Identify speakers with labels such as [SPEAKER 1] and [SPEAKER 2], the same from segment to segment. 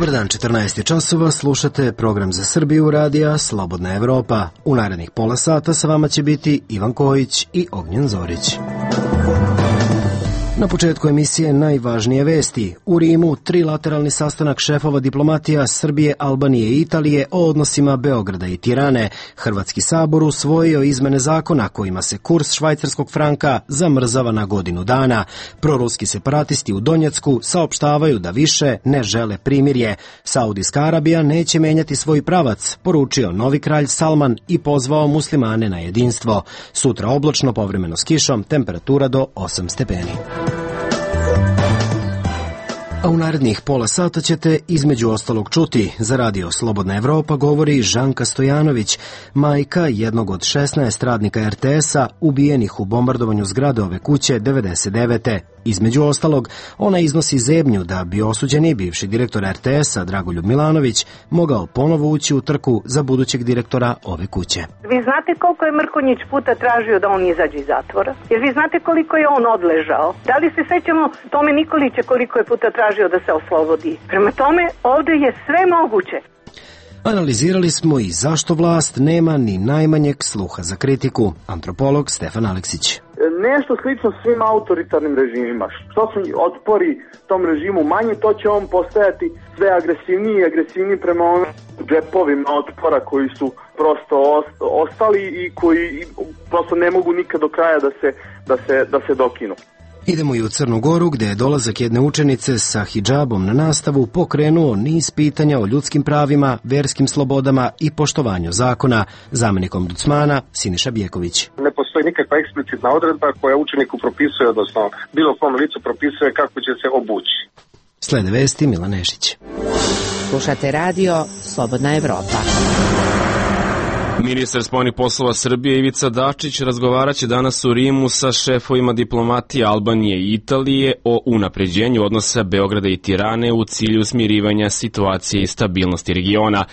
[SPEAKER 1] Dobar dan, 14 časova, slušate program za Srbiju radija Slobodna Evropa. U narednih pola sata sa vama će biti Ivan Kojić i Ognjen Zorić. Na početku emisije najvažnije vesti. U Rimu trilateralni sastanak šefova diplomatija Srbije, Albanije i Italije o odnosima Beograda i Tirane. Hrvatski sabor usvojio izmene zakona kojima se kurs švajcarskog franka zamrzava na godinu dana. Proruski separatisti u Donjecku saopštavaju da više ne žele primirje. Saudijska Arabija neće menjati svoj pravac, poručio novi kralj Salman i pozvao muslimane na jedinstvo. Sutra oblačno, povremeno s kišom, temperatura do 8 stepeni. A u narednih pola sata ćete između ostalog čuti. Za radio Slobodna Evropa govori Žanka Stojanović, majka jednog od 16 radnika RTS-a ubijenih u bombardovanju zgrade ove kuće 99. Između ostalog, ona iznosi zebnju da bi osuđeni bivši direktor RTS-a Dragoljub Milanović mogao ponovo ući u trku za budućeg direktora ove kuće.
[SPEAKER 2] Vi znate koliko je Mrkonjić puta tražio da on izađe iz zatvora? Jer vi znate koliko je on odležao? Da li se sećamo Tome Nikolića koliko je puta tražio da se oslobodi? Prema tome, ovde je sve moguće.
[SPEAKER 1] Analizirali smo i zašto vlast nema ni najmanjeg sluha za kritiku. Antropolog Stefan Aleksić.
[SPEAKER 3] Nešto slično svim autoritarnim režimima. Što su otpori tom režimu manji, to će on postajati sve agresivniji i agresivniji prema onim džepovima otpora koji su prosto ostali i koji prosto ne mogu nikad do kraja da se dokinu.
[SPEAKER 1] Idemo i u Crnu Goru, gde je dolazak jedne učenice sa hidžabom na nastavu pokrenuo niz pitanja o ljudskim pravima, verskim slobodama i poštovanju zakona. Zamenik ombudsmana Siniša Bjeković.
[SPEAKER 4] Ne postoji nikakva eksplicitna odredba koja učeniku propisuje, odnosno bilo kom licu propisuje kako će se obući.
[SPEAKER 1] Slede vesti Milan Nešić.
[SPEAKER 5] Slušate radio Slobodna Evropa.
[SPEAKER 6] Ministar spoljnih poslova Srbije Ivica Dačić razgovaraće danas u Rimu sa šefovima diplomatije Albanije i Italije o unapređenju odnosa Beograda i Tirane u cilju smirivanja situacije i stabilnosti regiona.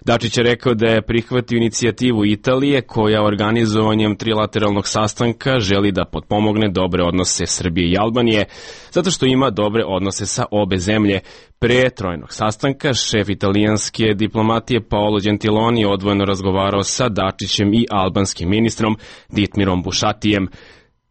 [SPEAKER 6] Dačić je rekao da je prihvatio inicijativu Italije koja organizovanjem trilateralnog sastanka želi da potpomogne dobre odnose Srbije i Albanije, zato što ima dobre odnose sa obe zemlje. Pre trojnog sastanka šef italijanske diplomatije Paolo Gentiloni je odvojeno razgovarao sa Dačićem i albanskim ministrom Ditmirom Bušatijem.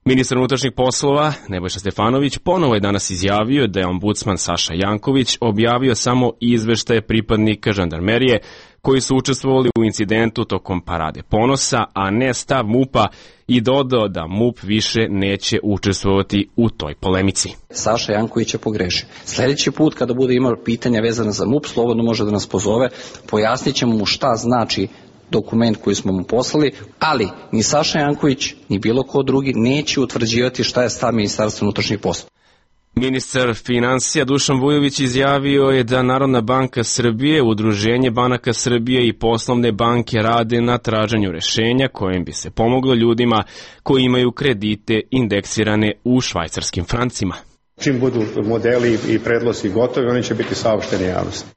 [SPEAKER 6] Ministar unutrašnjih poslova Nebojša Stefanović ponovo je danas izjavio da je ombudsman Saša Janković objavio samo izveštaje pripadnika žandarmerije koji su učestvovali u incidentu tokom Parade ponosa, a ne stav MUP-a, i dodao da MUP više neće učestvovati u toj polemici.
[SPEAKER 7] Saša Janković je pogrešio. Sljedeći put kada bude imao pitanja vezana za MUP, slobodno može da nas pozove, pojasnit ćemo mu šta znači dokument koji smo mu poslali, ali ni Saša Janković, ni bilo ko drugi neće utvrđivati šta je stav Ministarstva unutrašnjih poslova.
[SPEAKER 6] Ministar finansija Dušan Vujović izjavio je da Narodna banka Srbije, Udruženje banaka Srbije i poslovne banke rade na traženju rešenja kojim bi se pomoglo ljudima koji imaju kredite indeksirane u švajcarskim francima.
[SPEAKER 8] Čim budu modeli i predlozi gotovi, oni će biti saopšteni javnosti.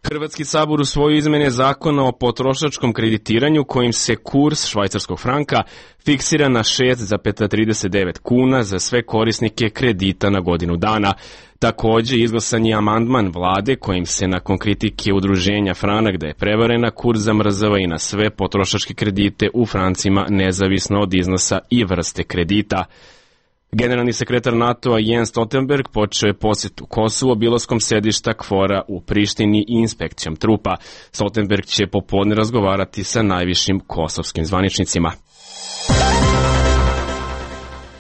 [SPEAKER 6] Hrvatski sabor usvojio izmene zakona o potrošačkom kreditiranju kojim se kurs švajcarskog franka fiksira na 6,39 kuna za sve korisnike kredita na godinu dana. Također izglasan je amandman vlade kojim se nakon kritike udruženja Franak da je prevarena, kurs zamrzava i na sve potrošačke kredite u francima nezavisno od iznosa i vrste kredita. Generalni sekretar NATO-a Jens Stoltenberg počeo je posjetu Kosovu obilaskom sedišta KFOR-a u Prištini i inspekcijom trupa. Stoltenberg će popodne razgovarati sa najvišim kosovskim zvaničnicima.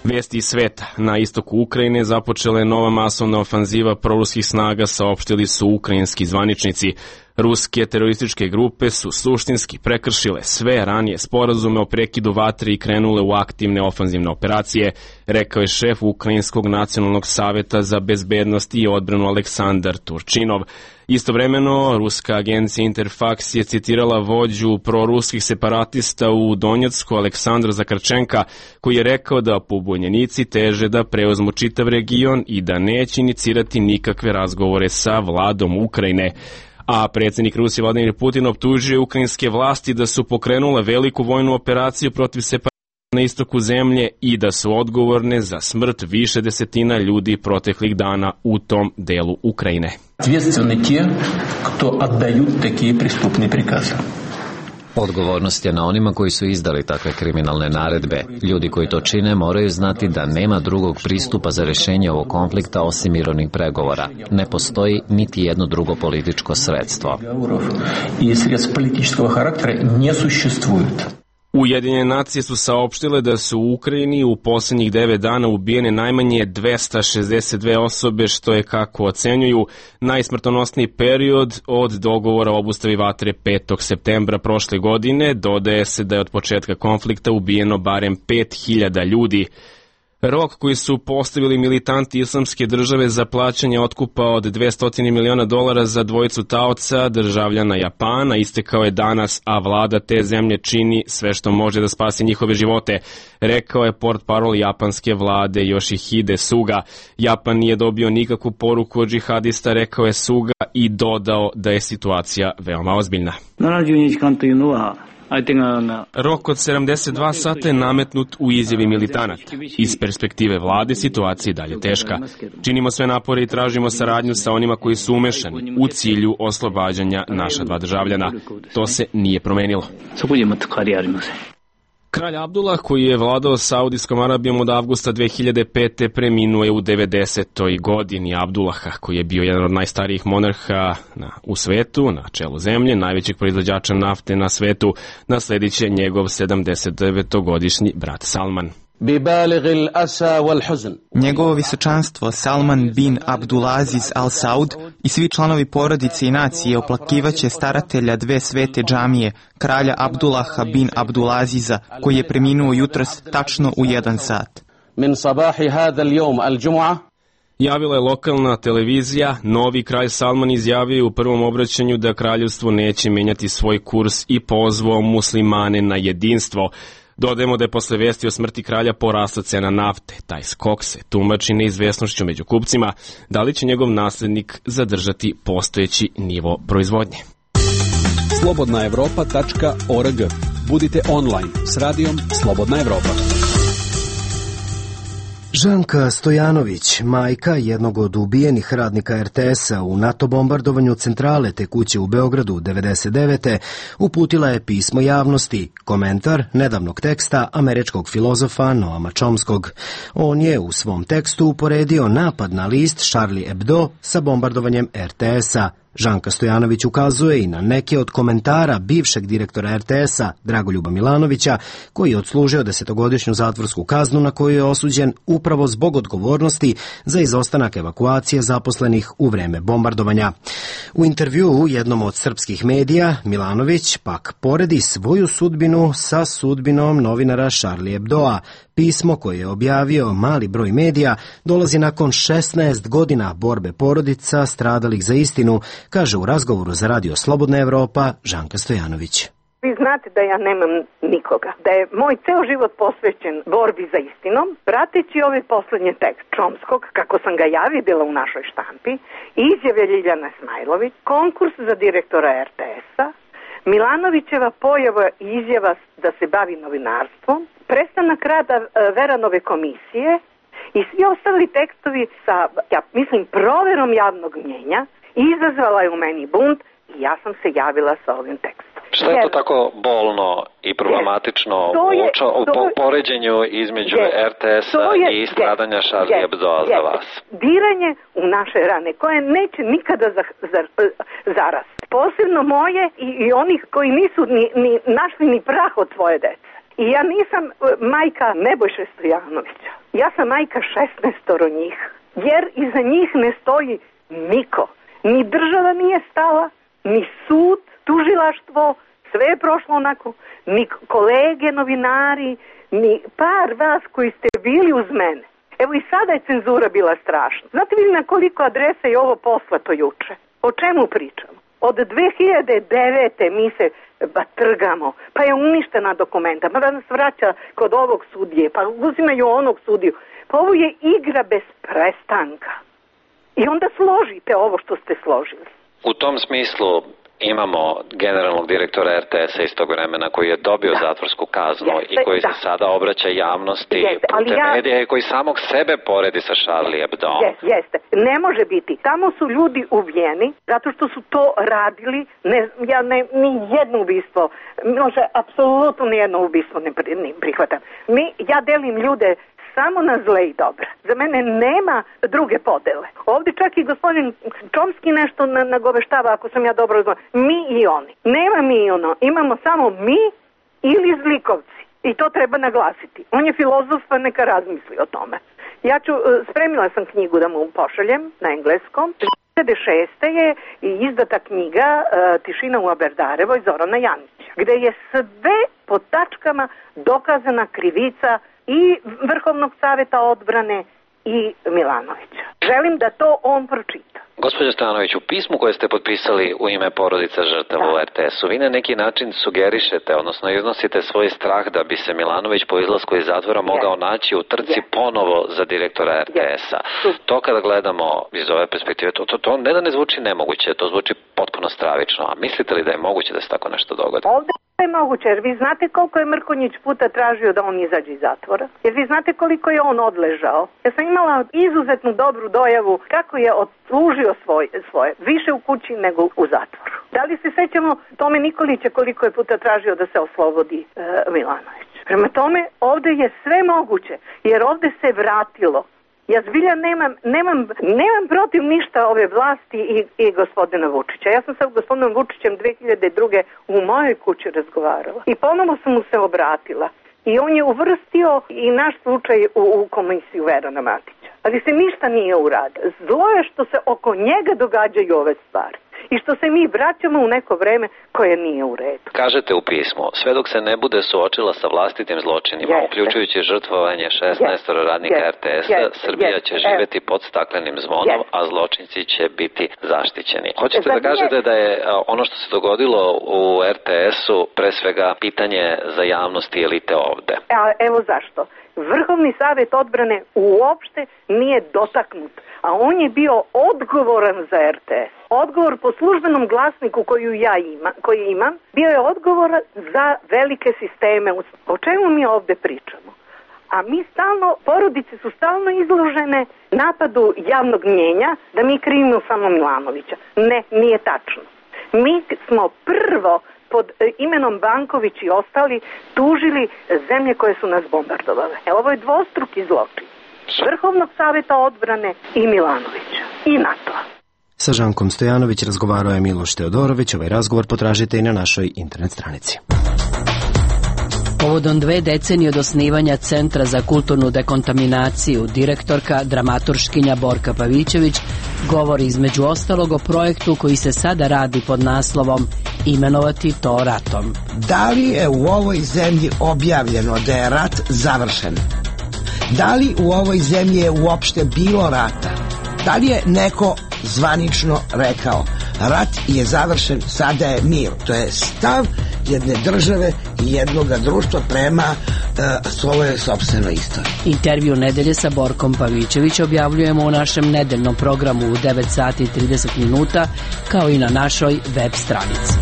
[SPEAKER 6] Vesti iz sveta. Na istoku Ukrajine započela je nova masovna ofanziva proruskih snaga, saopštili su ukrajinski zvaničnici. Ruske terorističke grupe su suštinski prekršile sve ranije sporazume o prekidu vatre i krenule u aktivne ofanzivne operacije, rekao je šef Ukrajinskog nacionalnog saveta za bezbednost i odbranu Aleksandar Turčinov. Istovremeno, ruska agencija Interfax je citirala vođu proruskih separatista u Donjecku Aleksandra Zakarčenka, koji je rekao da pobunjenici teže da preuzmu čitav region i da neće inicirati nikakve razgovore sa vladom Ukrajine. A predsjednik Rusije Vladimir Putin optužuje ukrajinske vlasti da su pokrenule veliku vojnu operaciju protiv separatista na istoku zemlje i da su odgovorne za smrt više desetina ljudi proteklih dana u tom delu Ukrajine.
[SPEAKER 9] Ответственны те, кто отдают такие преступные приказы.
[SPEAKER 10] Odgovornost je na onima koji su izdali takve kriminalne naredbe. Ljudi koji to čine moraju znati da nema drugog pristupa za rješenje ovog konflikta osim mirovnih pregovora. Ne postoji niti jedno drugo političko sredstvo.
[SPEAKER 9] I sredstva političkog karaktera ne существуют.
[SPEAKER 6] Ujedinjene nacije su saopštile da su u Ukrajini u posljednjih 9 dana ubijene najmanje 262 osobe, što je, kako ocenjuju, najsmrtonosniji period od dogovora o obustavi vatre 5. septembra prošle godine. Dodaje se da je od početka konflikta ubijeno barem 5000 ljudi. Rok koji su postavili militanti Islamske države za plaćanje otkupa od $200 miliona za dvojicu taoca, državljana Japana, istekao je danas, a vlada te zemlje čini sve što može da spasi njihove živote, rekao je portparol japanske vlade Yoshihide Suga. Japan nije dobio nikakvu poruku od džihadista, rekao je Suga, i dodao da je situacija veoma ozbiljna. Rok od 72 sata je nametnut u izjavi militanata. Iz perspektive vlade situacija je dalje teška. Činimo sve napore i tražimo saradnju sa onima koji su umešani u cilju oslobađanja naša 2 državljana. To se nije promenilo. Kralj Abdullah, koji je vladao Saudijskom Arabijom od avgusta 2005. preminuo je u 90. godini. Abdullaha, koji je bio jedan od najstarijih monarha u svetu, na čelu zemlje, najvećeg proizvođača nafte na svetu, nasledit će njegov 79-godišnji brat Salman.
[SPEAKER 11] Njegovo visočanstvo Salman bin Abdulaziz Al Saud i svi članovi porodice i nacije oplakivaće staratelja 2 svete džamije, kralja Abdullaha bin Abdulaziza, koji je preminuo jutros tačno u 1 sat.
[SPEAKER 6] Javila je lokalna televizija. Novi kralj Salman izjavio u prvom obraćanju da kraljevstvo neće menjati svoj kurs i pozvao muslimane na jedinstvo. Dodajemo da je posle vesti o smrti kralja porasla cena nafte. Taj skok se tumači neizvesnošću među kupcima. Da li će njegov naslednik zadržati postojeći nivo proizvodnje?
[SPEAKER 12] slobodnaevropa.org. Budite online s radijom Slobodna Evropa.
[SPEAKER 1] Žanka Stojanović, majka jednog od ubijenih radnika RTS-a u NATO bombardovanju centrale te kuće u Beogradu 99. uputila je pismo javnosti, komentar nedavnog teksta američkog filozofa Noama Chomskog. On je u svom tekstu uporedio napad na list Charlie Hebdo sa bombardovanjem RTS-a. Žanka Stojanović ukazuje i na neke od komentara bivšeg direktora RTS-a Dragoljuba Milanovića, koji je odslužio 10-godišnju zatvorsku kaznu na koju je osuđen upravo zbog odgovornosti za izostanak evakuacije zaposlenih u vreme bombardovanja. U intervjuu u jednom od srpskih medija Milanović pak poredi svoju sudbinu sa sudbinom novinara Charlie Hebdoa. Pismo koje je objavio mali broj medija dolazi nakon 16 godina borbe porodica stradalih za istinu, kaže u razgovoru za radio Slobodna Evropa Žanka Stojanović.
[SPEAKER 2] Vi znate da ja nemam nikoga, da je moj ceo život posvećen borbi za istinom, prateći ovaj poslednji tekst Chomskog, kako sam ga ja videla u našoj štampi, izjave Ljiljane Smajlović, konkurs za direktora RTS-a, Milanovićeva pojava i izjava da se bavi novinarstvom, prestanak rada Veranove komisije i svi ostali tekstovi sa, ja mislim, proverom javnog mnjenja, izazvala je u meni bunt i ja sam se javila sa ovim tekstom.
[SPEAKER 13] Šta je to tako bolno i problematično u poređenju između RTS-a i stradanja Charlie Hebdoa za vas?
[SPEAKER 2] Diranje u naše rane koje neće nikada zarasti. Posebno moje i onih koji nisu ni našli ni prah od svoje dece. I ja nisam majka Nebojše Stojanovića. Ja sam majka 16 njih. Jer iza njih ne stoji niko. Ni država nije stala, ni sud, tužilaštvo, sve je prošlo onako, ni kolege, novinari, ni par vas koji ste bili uz mene. Evo i sada je cenzura bila strašna. Znate vi na koliko adresa je ovo poslato juče? O čemu pričamo? Od 2009. mi se trgamo, pa je uništena dokumenta, pa da nas vraća kod ovog sudije, pa uzimaju onog sudiju. Pa ovo je igra bez prestanka. I onda složite ovo što ste složili.
[SPEAKER 13] U tom smislu imamo generalnog direktora RTS-a iz tog vremena koji je dobio zatvorsku kaznu i koji se sada obraća javnosti putem medija i koji samog sebe poredi sa Charlie Hebdo.
[SPEAKER 2] Jeste. Ne može biti. Tamo su ljudi ubijeni zato što su to radili. Ni jedno ubistvo, može apsolutno nijedno ubistvo ne prihvatam. Ja delim ljude samo na zle i dobre. Za mene nema druge podele. Ovdje čak i gospodin Čomski nešto nagoveštava, ako sam ja dobro razumela. Mi i oni. Nema mi i ono. Imamo samo mi ili zlikovci. I to treba naglasiti. On je filozof, pa neka razmisli o tome. Spremila sam knjigu da mu pošaljem na engleskom. 2006. je izdata knjiga Tišina u Aberdarevoj Zorana Janića, gde je sve po tačkama dokazana krivica i Vrhovnog saveta odbrane i Milanovića. Želim da to on pročita.
[SPEAKER 13] Gospođo Stanović, u pismu koje ste potpisali u ime porodica žrtava u RTS-u, vi na neki način sugerišete, odnosno iznosite svoj strah da bi se Milanović po izlasku iz zatvora mogao naći u trci ponovo za direktora RTS-a. To kada gledamo iz ove perspektive, to ne da ne zvuči nemoguće, to zvuči potpuno stravično. A mislite li da je moguće da se tako nešto dogodi?
[SPEAKER 2] Ovdje je moguće, jer vi znate koliko je Mrkonjić puta tražio da on izađe iz zatvora? Jer vi znate koliko je on odležao? Ja sam imala izuzetnu dobru dojavu kako je odslužio svoje, više u kući nego u zatvoru. Da li se sećamo Tome Nikolića koliko je puta tražio da se oslobodi Milanović? Prema tome, ovdje je sve moguće, jer ovdje se vratilo. Ja zbilja nemam protiv ništa ove vlasti i gospodina Vučića. Ja sam sa gospodinom Vučićem 2002. u mojoj kući razgovarala i ponovo sam mu se obratila. I on je uvrstio i naš slučaj u komisiju Verana Matića. Ali se ništa nije uradilo. Zlo je što se oko njega događaju ove stvari. I što se mi vraćamo u neko vreme koje nije u redu.
[SPEAKER 13] Kažete u pismu, sve dok se ne bude suočila sa vlastitim zločinima, uključujući žrtvovanje 16 radnika RTS-a, Srbija će živjeti pod staklenim zvonom, a zločinci će biti zaštićeni. Hoćete da kažete da je ono što se dogodilo u RTS-u pre svega pitanje za javnost i elite ovde?
[SPEAKER 2] Evo zašto. Vrhovni savjet odbrane uopšte nije dotaknut, a on je bio odgovoran za RTS. Odgovor po službenom glasniku koji imam, bio je odgovoran za velike sisteme. O čemu mi ovdje pričamo? A mi porodice su stalno izložene napadu javnog mnjenja da mi krivimo samo Milanovića. Ne, nije tačno. Mi smo prvo pod imenom Banković i ostali tužili zemlje koje su nas bombardovale. Ovo je dvostruki zločin. Vrhovnog savjeta odbrane i Milanovića i NATO-a.
[SPEAKER 1] Sa Žankom Stojanović razgovarao je Miloš Teodorović. Ovaj razgovor potražite i na našoj internet stranici.
[SPEAKER 14] Povodom 2 decenije od osnivanja Centra za kulturnu dekontaminaciju, direktorka, dramaturškinja Borka Pavićević govori između ostalog o projektu koji se sada radi pod naslovom Imenovati to ratom.
[SPEAKER 15] Da li je u ovoj zemlji objavljeno da je rat završen? Da li u ovoj zemlji je uopšte bilo rata? Da li je neko zvanično rekao rat je završen, sada je mir? To je stav jedne države i jednoga društva prema svojoj sopstvenoj istoriji.
[SPEAKER 14] Intervju nedelje sa Borkom Pavićević objavljujemo u našem nedeljnom programu u 9 sati i 30 minuta, kao i na našoj web stranici.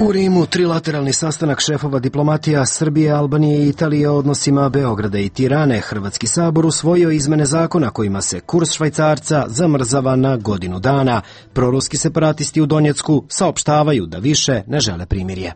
[SPEAKER 1] U Rimu trilateralni sastanak šefova diplomatija Srbije, Albanije i Italije o odnosima Beograda i Tirane. Hrvatski sabor usvojio izmene zakona kojima se kurs švajcarca zamrzava na godinu dana. Proruski separatisti u Donjecku saopštavaju da više ne žele primirje.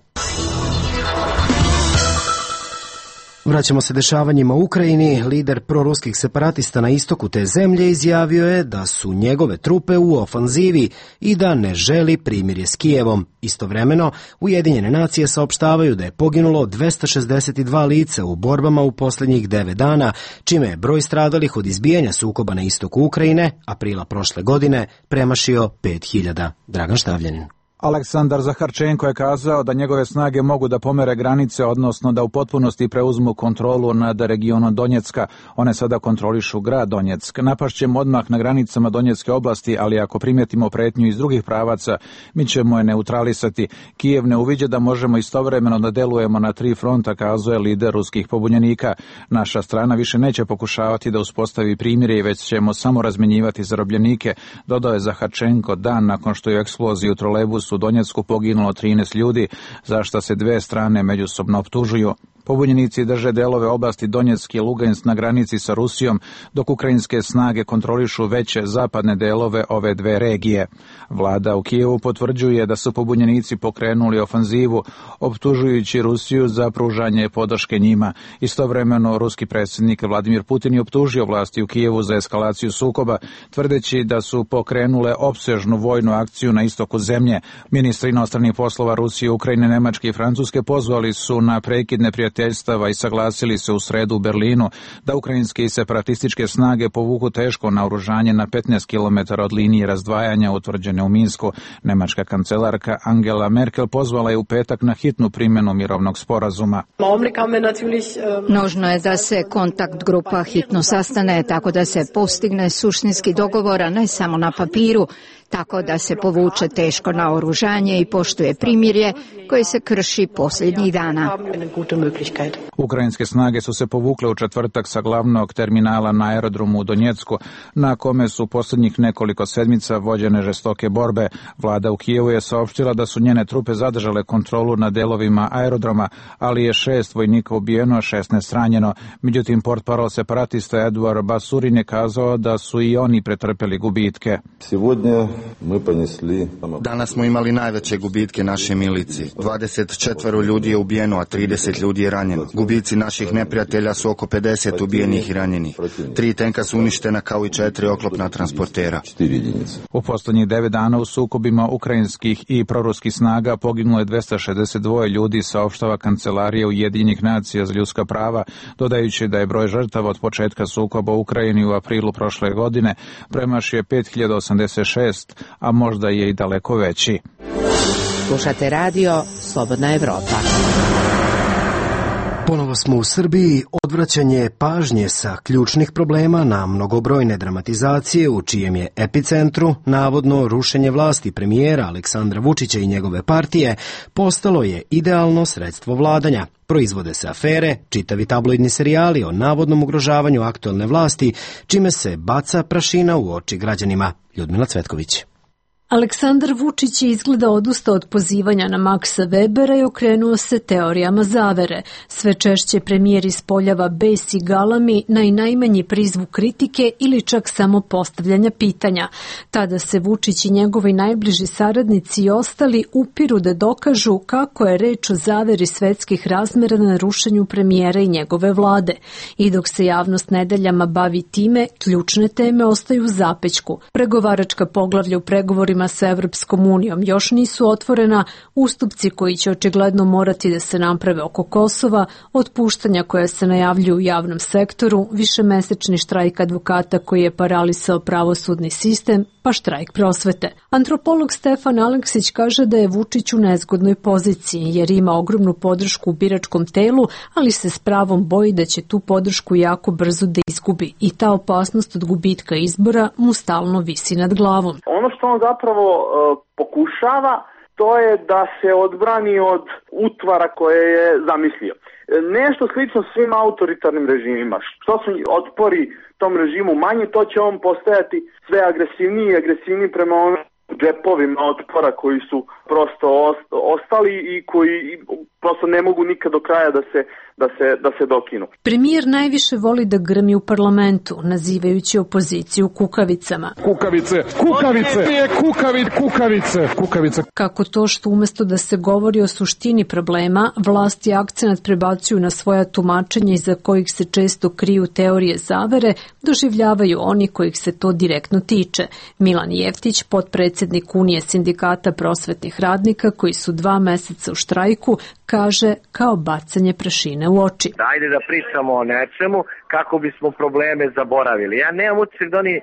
[SPEAKER 1] Vraćamo se dešavanjima u Ukrajini. Lider proruskih separatista na istoku te zemlje izjavio je da su njegove trupe u ofanzivi i da ne želi primirje s Kijevom. Istovremeno, Ujedinjene nacije saopštavaju da je poginulo 262 lica u borbama u posljednjih 9 dana, čime je broj stradalih od izbijanja sukoba na istoku Ukrajine aprila prošle godine premašio 5000. Dragan Štavljanin.
[SPEAKER 16] Aleksandar Zaharčenko je kazao da njegove snage mogu da pomere granice, odnosno da u potpunosti preuzmu kontrolu nad regionom Donjecka. One sada kontrolišu grad Donjeck. Napašćemo odmah na granicama Donjecke oblasti, ali ako primetimo pretnju iz drugih pravaca, mi ćemo je neutralisati. Kijev ne uviđa da možemo istovremeno da delujemo na 3 fronta, kazuje lider ruskih pobunjenika. Naša strana više neće pokušavati da uspostavi primirje, već ćemo samo razmenjivati zarobljenike, dodao je Zaharčenko dan nakon što je u eksploziji u trolejbusu u Donjecku poginulo 13 ljudi, za šta se dve strane međusobno optužuju. Pobunjenici drže delove oblasti Donjeck i Lugansk na granici sa Rusijom, dok ukrajinske snage kontrolišu veće zapadne delove ove dve regije. Vlada u Kijevu potvrđuje da su pobunjenici pokrenuli ofanzivu, optužujući Rusiju za pružanje podrške njima. Istovremeno, ruski predsjednik Vladimir Putin je optužio vlasti u Kijevu za eskalaciju sukoba, tvrdeći da su pokrenule opsežnu vojnu akciju na istoku zemlje. Ministri inostranih poslova Rusije, Ukrajine, Nemačke i Francuske pozvali su na prekid neprijateljstva i saglasili se u sredu u Berlinu da ukrajinske i separatističke snage povuku teško naoružanje na 15 km od linije razdvajanja utvrđene u Minsku. Nemačka kancelarka Angela Merkel pozvala je u petak na hitnu primjenu mirovnog sporazuma.
[SPEAKER 17] Nužno je da se kontakt grupa hitno sastane tako da se postigne suštinski dogovor, a ne samo na papiru, tako da se povuče teško naoružanje i poštuje primirje koje se krši posljednjih dana.
[SPEAKER 16] Ukrajinske snage su se povukle u četvrtak sa glavnog terminala na aerodromu u Donjecku, na kome su posljednjih nekoliko sedmica vođene žestoke borbe. Vlada u Kijevu je saopštila da su njene trupe zadržale kontrolu nad delovima aerodroma, ali je 6 vojnika ubijeno, a 16 ranjeno. Međutim, portparol separatista Eduard Basurin je kazao da su i oni pretrpeli gubitke.
[SPEAKER 18] Danas smo imali najveće gubitke naše milici. 24 ljudi je ubijeno, a 30 ljudi je ranjeno. Gubici naših neprijatelja su oko 50 ubijenih i ranjenih. 3 tenka su uništena kao i 4 oklopna transportera.
[SPEAKER 16] U posljednjih 9 dana u sukobima ukrajinskih i proruskih snaga poginulo je 262 ljudi, saopštava Kancelarija Ujedinjenih nacija za ljudska prava, dodajući da je broj žrtava od početka sukoba u Ukrajini u aprilu prošle godine premašio 5086, a možda je i daleko veći.
[SPEAKER 5] Slušate radio Slobodna Evropa.
[SPEAKER 1] Ponovo smo u Srbiji. Odvraćanje pažnje sa ključnih problema na mnogobrojne dramatizacije u čijem je epicentru navodno rušenje vlasti premijera Aleksandra Vučića i njegove partije postalo je idealno sredstvo vladanja. Proizvode se afere, čitavi tabloidni serijali o navodnom ugrožavanju aktuelne vlasti, čime se baca prašina u oči građanima. Ljudmila Cvetković.
[SPEAKER 19] Aleksandar Vučić je izgleda odustao od pozivanja na Maksa Webera i okrenuo se teorijama zavere. Sve češće premijer ispoljava bes i galami na i najmanji prizvuk kritike ili čak samo postavljanja pitanja. Tada se Vučić i njegovi najbliži saradnici i ostali upiru da dokažu kako je reč o zaveri svetskih razmera na rušenju premijera i njegove vlade. I dok se javnost nedeljama bavi time, ključne teme ostaju u zapećku. Pregovaračka poglavlja u pregovorima sa Evropskom unijom još nisu otvorena, ustupci koji će očigledno morati da se naprave oko Kosova, otpuštanja koja se najavljuju u javnom sektoru, višemesečni štrajk advokata koji je paralisao pravosudni sistem, pa štrajk prosvete. Antropolog Stefan Aleksić kaže da je Vučić u nezgodnoj poziciji jer ima ogromnu podršku u biračkom telu, ali se s pravom boji da će tu podršku jako brzo da izgubi i ta opasnost od gubitka izbora mu stalno visi nad glavom.
[SPEAKER 3] Ono što on zapravo pokušava, to je da se odbrani od utvara koje je zamislio. Nešto slično svim autoritarnim režimima. Što su otpori tom režimu manji, to će on postajati sve agresivniji i agresivniji prema onim džepovima otpora koji su prosto ostali i koji prosto ne mogu nikad do kraja da se dokinu.
[SPEAKER 19] Premijer najviše voli da grmi u parlamentu, nazivajući opoziciju kukavicama.
[SPEAKER 20] Kukavice, kukavice, kukavice, kukavice.
[SPEAKER 19] Kako to što umjesto da se govori o suštini problema, vlasti akcenat prebacuju na svoja tumačenja iza kojih se često kriju teorije zavere, doživljavaju oni kojih se to direktno tiče. Milan Jeftić, potpredsjednik Unije sindikata prosvetnih radnika koji su 2 meseca u štrajku, kaže kao bacanje prašine u oči.
[SPEAKER 21] Ajde da pričamo o nečemu kako bismo probleme zaboravili. Ja nemam utisak da oni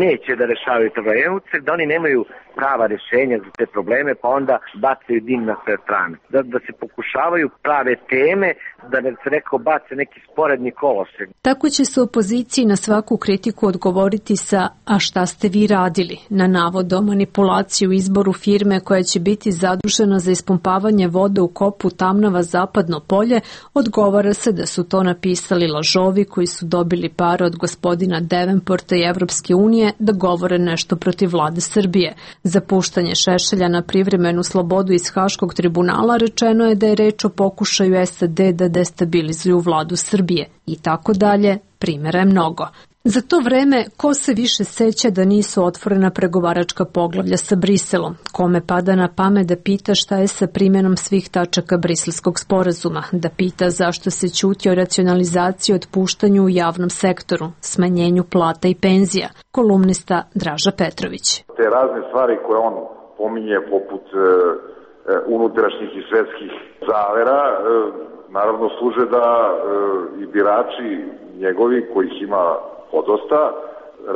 [SPEAKER 21] neće da rešavaju probleme. Ja imam utisak da oni nemaju prava rešenja za te probleme, pa onda bacaju dim na sve strane. Da se pokušavaju prave teme, da se neko bace neki sporedni kolosek.
[SPEAKER 19] Tako će se opoziciji na svaku kritiku odgovoriti sa "a šta ste vi radili?" Na navod o manipulaciji u izboru firme koja će biti zadužena za ispumpavanje vode u kopu Tamnava Zapadno polje, odgovara se da su to napisali lažovi koji su dobili pare od gospodina Devenporta i Evropske unije da govore nešto protiv vlade Srbije. Za puštanje Šešelja na privremenu slobodu iz Haškog tribunala rečeno je da je reč o pokušaju SAD da destabilizuju vladu Srbije i tako dalje, primjera je mnogo. Za to vreme, ko se više seća da nisu otvorena pregovaračka poglavlja sa Briselom? Kome pada na pamet da pita šta je sa primjenom svih tačaka Briselskog sporazuma? Da pita zašto se ćuti o racionalizaciji i otpuštanju u javnom sektoru, smanjenju plata i penzija? Kolumnista Draža Petrović.
[SPEAKER 22] Te razne stvari koje on pominje poput unutrašnjih i svetskih zavera, naravno služe da i birači njegovi, kojih ima podosta,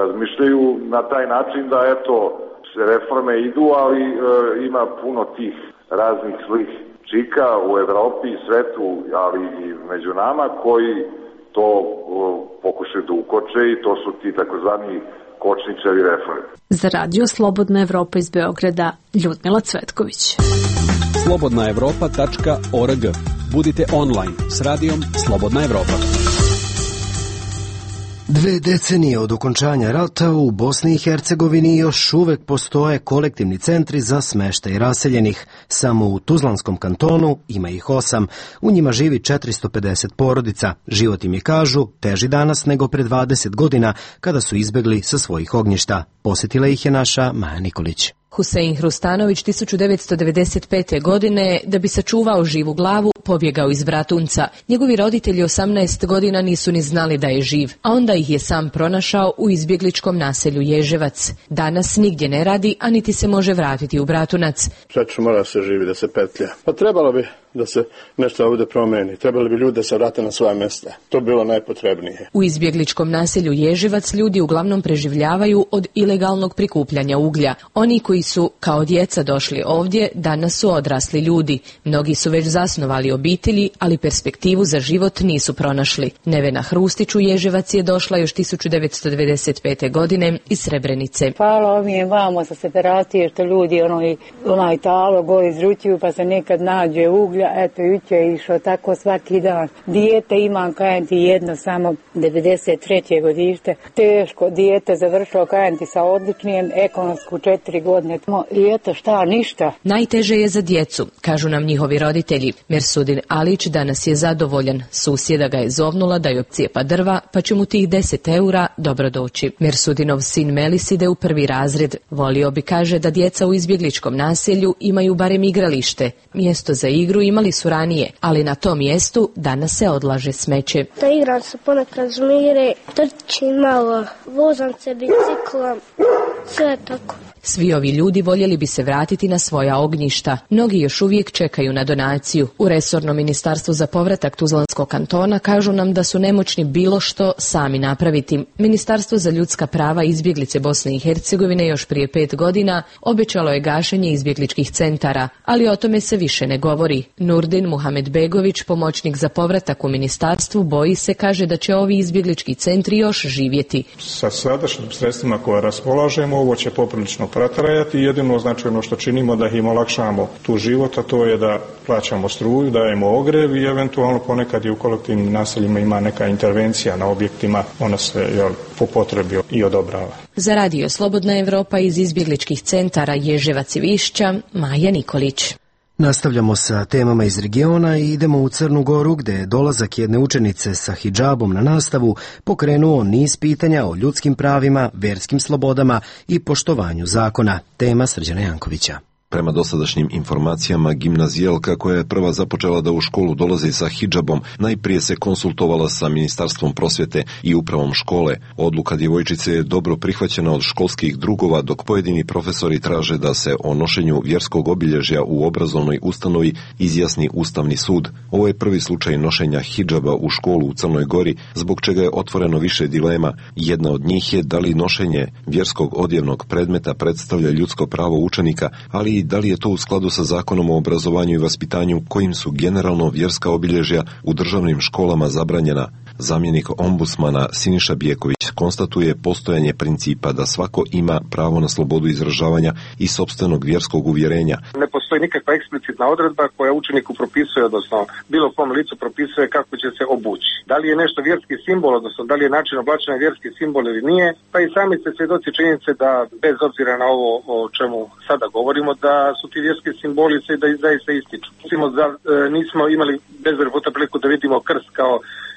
[SPEAKER 22] razmišljaju na taj način da eto se reforme idu, ali ima puno tih raznih zlih čika u Evropi i svetu, ali i među nama, koji to pokušaju da ukoče i to su ti takozvani kočničevi reforme.
[SPEAKER 19] Za Radio Slobodna Evropa iz Beograda, Ljudmila Cvetković.
[SPEAKER 12] slobodnaevropa.org. Budite online s radijom Slobodna Evropa.
[SPEAKER 1] 2 decenije od okončanja rata u Bosni i Hercegovini još uvek postoje kolektivni centri za smeštaj raseljenih. Samo u Tuzlanskom kantonu ima ih 8. U njima živi 450 porodica. Život im je, kažu, teži danas nego pre 20 godina kada su izbegli sa svojih ognjišta. Posjetila ih je naša Maja Nikolić.
[SPEAKER 23] Husein Hrustanović 1995. godine, da bi sačuvao živu glavu, pobjegao iz Bratunca. Njegovi roditelji 18 godina nisu ni znali da je živ, a onda ih je sam pronašao u izbjegličkom naselju Ježevac. Danas nigdje ne radi, a niti se može vratiti u Bratunac.
[SPEAKER 24] Čečno mora se živi da se petlja. Pa trebalo bi da se nešto ovdje promeni. Trebali bi ljudi da se vrate na svoja mjesta. To bi bilo najpotrebnije.
[SPEAKER 23] U izbjegličkom naselju Ježevac ljudi uglavnom preživljavaju od ilegalnog prikupljanja uglja. Oni koji su kao djeca došli ovdje, danas su odrasli ljudi. Mnogi su već zasnovali obitelji, ali perspektivu za život nisu pronašli. Nevena Hrustić u Ježevac je došla još 1995. godine iz Srebrenice.
[SPEAKER 25] Hvala mi je vamo sa separacije što ljudi onaj talo go izručuju pa se nekad nađe uglja. Eto, juče je išao tako svaki dan. Dijete imam, kajem ti, jedno samo 93. godište. Teško, dijete završilo, kajem ti, sa odličnijem, ekonomsku 4 godine. I eto šta, ništa.
[SPEAKER 23] Najteže je za djecu, kažu nam njihovi roditelji. Mersudin Alić danas je zadovoljan. Susjeda ga je zovnula da joj opcijepa drva, pa će mu tih 10 eura dobro doći. Mersudinov sin Melis ide u 1. razred. Volio bi, kaže, da djeca u izbjegličkom naselju imaju barem igralište. Mjesto za igru imali su ranije, ali na tom mjestu danas se odlaže smeće.
[SPEAKER 26] Da igram se ponekad žmire, trčim malo, vozam se biciklom, sve tako.
[SPEAKER 23] Svi ovi ljudi voljeli bi se vratiti na svoja ognjišta. Mnogi još uvijek čekaju na donaciju. U resornom ministarstvu za povratak Tuzlanskog kantona kažu nam da su nemoćni bilo što sami napraviti. Ministarstvo za ljudska prava i izbjeglice Bosne i Hercegovine još prije 5 godina obećalo je gašenje izbjegličkih centara, ali o tome se više ne govori. Nurdin Muhamedbegović, pomoćnik za povratak u ministarstvu, boji se, kaže, da će ovi izbjeglički centri još živjeti.
[SPEAKER 27] Sa sadašnjim sredstvima koje raspolažemo, ovo će poprilično protrajati. Jedino značajno što činimo da im olakšamo tu život, a to je da plaćamo struju, dajemo ogrev i eventualno ponekad i u kolektivnim naseljima ima neka intervencija na objektima, ona se po potrebi i odobrava.
[SPEAKER 23] Za Radio Slobodna Evropa iz izbjegličkih centara Ježevac i Višća, Maja Nikolić.
[SPEAKER 1] Nastavljamo sa temama iz regiona i idemo u Crnu Goru, gde je dolazak jedne učenice sa hidžabom na nastavu pokrenuo niz pitanja o ljudskim pravima, verskim slobodama i poštovanju zakona. Tema Srđana Jankovića.
[SPEAKER 4] Prema dosadašnjim informacijama, gimnazijalka koja je prva započela da u školu dolazi sa hidžabom, najprije se konsultovala sa Ministarstvom prosvjete i upravom škole. Odluka djevojčice je dobro prihvaćena od školskih drugova, dok pojedini profesori traže da se o nošenju vjerskog obilježja u obrazovnoj ustanovi izjasni Ustavni sud. Ovo je prvi slučaj nošenja hidžaba u školu u Crnoj Gori, zbog čega je otvoreno više dilema. Jedna od njih je da li nošenje vjerskog odjevnog predmeta predstavlja ljudsko pravo učenika, ali i da li je to u skladu sa Zakonom o obrazovanju i vaspitanju kojim su generalno vjerska obilježja u državnim školama zabranjena. Zamjenik ombudsmana Siniša Bjeković konstatuje postojanje principa da svako ima pravo na slobodu izražavanja i sopstvenog vjerskog uvjerenja.
[SPEAKER 6] Ne postoji nikakva eksplicitna odredba koja učeniku propisuje, odnosno bilo kom licu propisuje kako će se obući. Da li je nešto vjerski simbol, odnosno da li je način oblačenja vjerski simbol ili nije, pa i sami ste svjedoci činjenice da bez obzira na ovo o čemu sada govorimo, da su ti vjerski simboli se da zaista ističu. Recimo da nismo imali bezbroj puta priliku da vidimo krst kao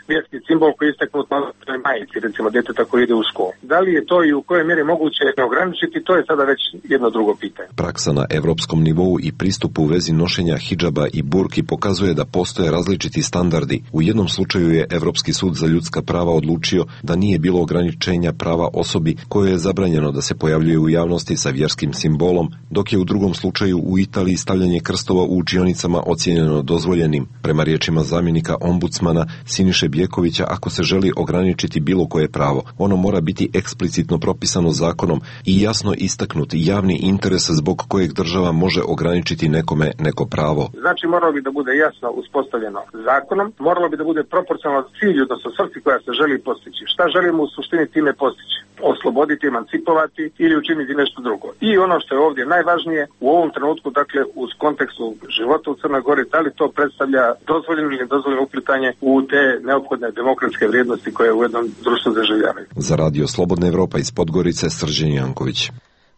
[SPEAKER 6] vjerski simbol koji je istaknut na majici, recimo djeteta koji ide u školu. Da li je to i u kojoj mjeri moguće ograničiti, to je sada već jedno drugo pitanje.
[SPEAKER 4] Praksa na evropskom nivou i pristupu u vezi nošenja hidžaba i burki pokazuje da postoje različiti standardi. U jednom slučaju je Evropski sud za ljudska prava odlučio da nije bilo ograničenja prava osobi kojoj je zabranjeno da se pojavljuje u javnosti sa vjerskim simbolom, dok je u drugom slučaju u Italiji stavljanje krstova u učionicama ocijenjeno dozvoljenim. Prema riječima zamjenika ombudsmana Siniše Bjekovića, ako se želi ograničiti bilo koje pravo, ono mora biti eksplicitno propisano zakonom i jasno istaknuti javni interes zbog kojeg država može ograničiti nekome neko pravo.
[SPEAKER 6] Znači moralo bi da bude jasno uspostavljeno zakonom, moralo bi da bude proporcionalno cilju, odnosno svrsi koja se želi postići. Šta želimo u suštini time postići? Osloboditi, emancipovati ili učiniti nešto drugo. I ono što je ovdje najvažnije, u ovom trenutku, dakle, u kontekstu života u Crnoj Gori, da li to predstavlja dozvoljeno ili nedozvoljeno uplitanje u te neophodne demokratske vrijednosti koje u jednom društvu zaživljavaju.
[SPEAKER 4] Za Radio Slobodna Evropa iz Podgorice, Srđan Janković.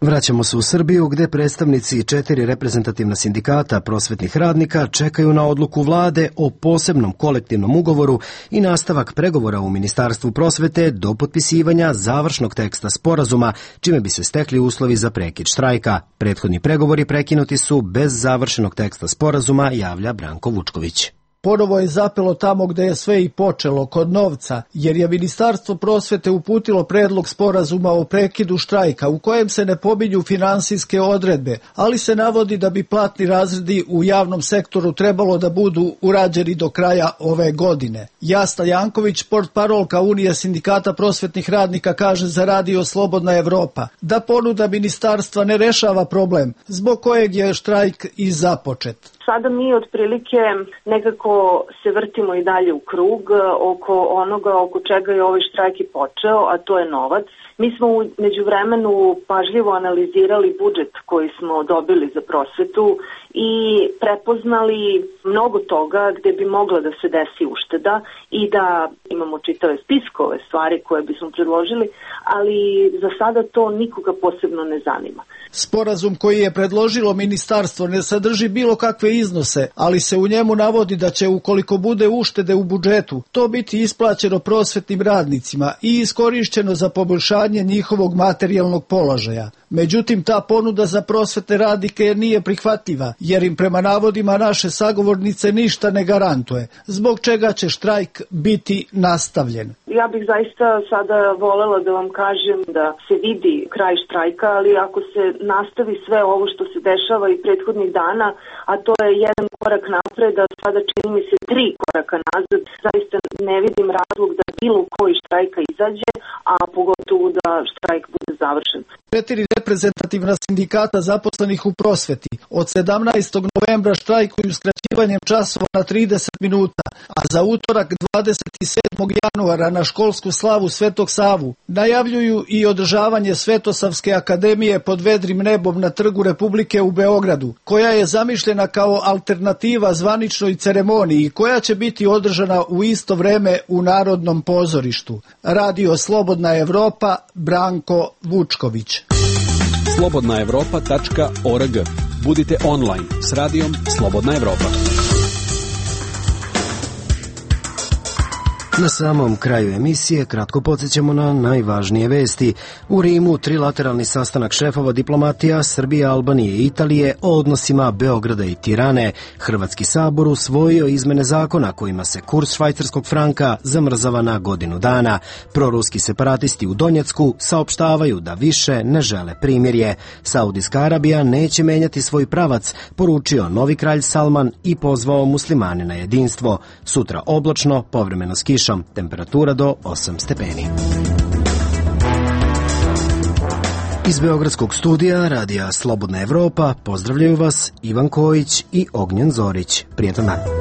[SPEAKER 1] Vraćamo se u Srbiju, gde predstavnici 4 reprezentativna sindikata prosvetnih radnika čekaju na odluku vlade o posebnom kolektivnom ugovoru i nastavak pregovora u Ministarstvu prosvete do potpisivanja završnog teksta sporazuma, čime bi se stekli uslovi za prekid štrajka. Prethodni pregovori prekinuti su bez završenog teksta sporazuma, javlja Branko Vučković.
[SPEAKER 7] Ponovo je zapelo tamo gde je sve i počelo, kod novca, jer je Ministarstvo prosvete uputilo predlog sporazuma o prekidu štrajka u kojem se ne pominju finansijske odredbe, ali se navodi da bi platni razredi u javnom sektoru trebalo da budu urađeni do kraja ove godine. Jasna Janković, portparolka Unije sindikata prosvetnih radnika, kaže za Radio Slobodna Evropa da ponuda ministarstva ne rešava problem zbog kojeg je štrajk i započet.
[SPEAKER 8] Sada mi otprilike nekako se vrtimo i dalje u krug oko onoga oko čega je ovaj štrajk i počeo, a to je novac. Mi smo u međuvremenu pažljivo analizirali budžet koji smo dobili za prosvetu i prepoznali mnogo toga gde bi mogla da se desi ušteda i da imamo čitave spiskove stvari koje bismo predložili, ali za sada to nikoga posebno ne zanima.
[SPEAKER 7] Sporazum koji je predložilo ministarstvo ne sadrži bilo kakve iznose, ali se u njemu navodi da će, ukoliko bude uštede u budžetu, to biti isplaćeno prosvetnim radnicima i iskorišćeno za poboljšanje njihovog materijalnog položaja. Međutim, ta ponuda za prosvetne radnike nije prihvatljiva, jer im prema navodima naše sagovornice ništa ne garantuje, zbog čega će štrajk biti nastavljen.
[SPEAKER 8] Ja bih zaista sada volela da vam kažem da se vidi kraj štrajka, ali ako se nastavi sve ovo što se dešava i prethodnih dana, a to je jedan korak napred, a sada čini mi se 3 koraka nazad, zaista ne vidim razlog da bilo koji štrajka izađe, a pogotovo da štrajk bude završen.
[SPEAKER 7] 4 reprezentativna sindikata zaposlenih u prosveti od 17. novembra štrajkuju skraćivanjem časova na 30 minuta, a za utorak 27. januara na školsku slavu Svetog Savu najavljuju i održavanje Svetosavske akademije pod vedrim nebom na Trgu Republike u Beogradu, koja je zamišljena kao alternativa zvaničnoj ceremoniji i koja će biti održana u isto vreme u Narodnom pozorištu. Radio Slobodna Evropa, Branko Vučković.
[SPEAKER 12] slobodnaevropa.org. Budite online s radijom Slobodna Evropa.
[SPEAKER 1] Na samom kraju emisije kratko podsjećamo na najvažnije vesti. U Rimu trilateralni sastanak šefova diplomatija Srbije, Albanije i Italije o odnosima Beograda i Tirane. Hrvatski sabor usvojio izmene zakona kojima se kurs švajcarskog franka zamrzava na godinu dana. Proruski separatisti u Donjecku saopštavaju da više ne žele primirje. Saudijska Arabija neće menjati svoj pravac, poručio novi kralj Salman i pozvao muslimane na jedinstvo. Sutra oblačno, povremeno s kišom. Temperatura do 8 stepeni. Iz Beogradskog studija Radija Slobodna Evropa pozdravljaju vas Ivan Kojić i Ognjen Zorić. Prijetan dan.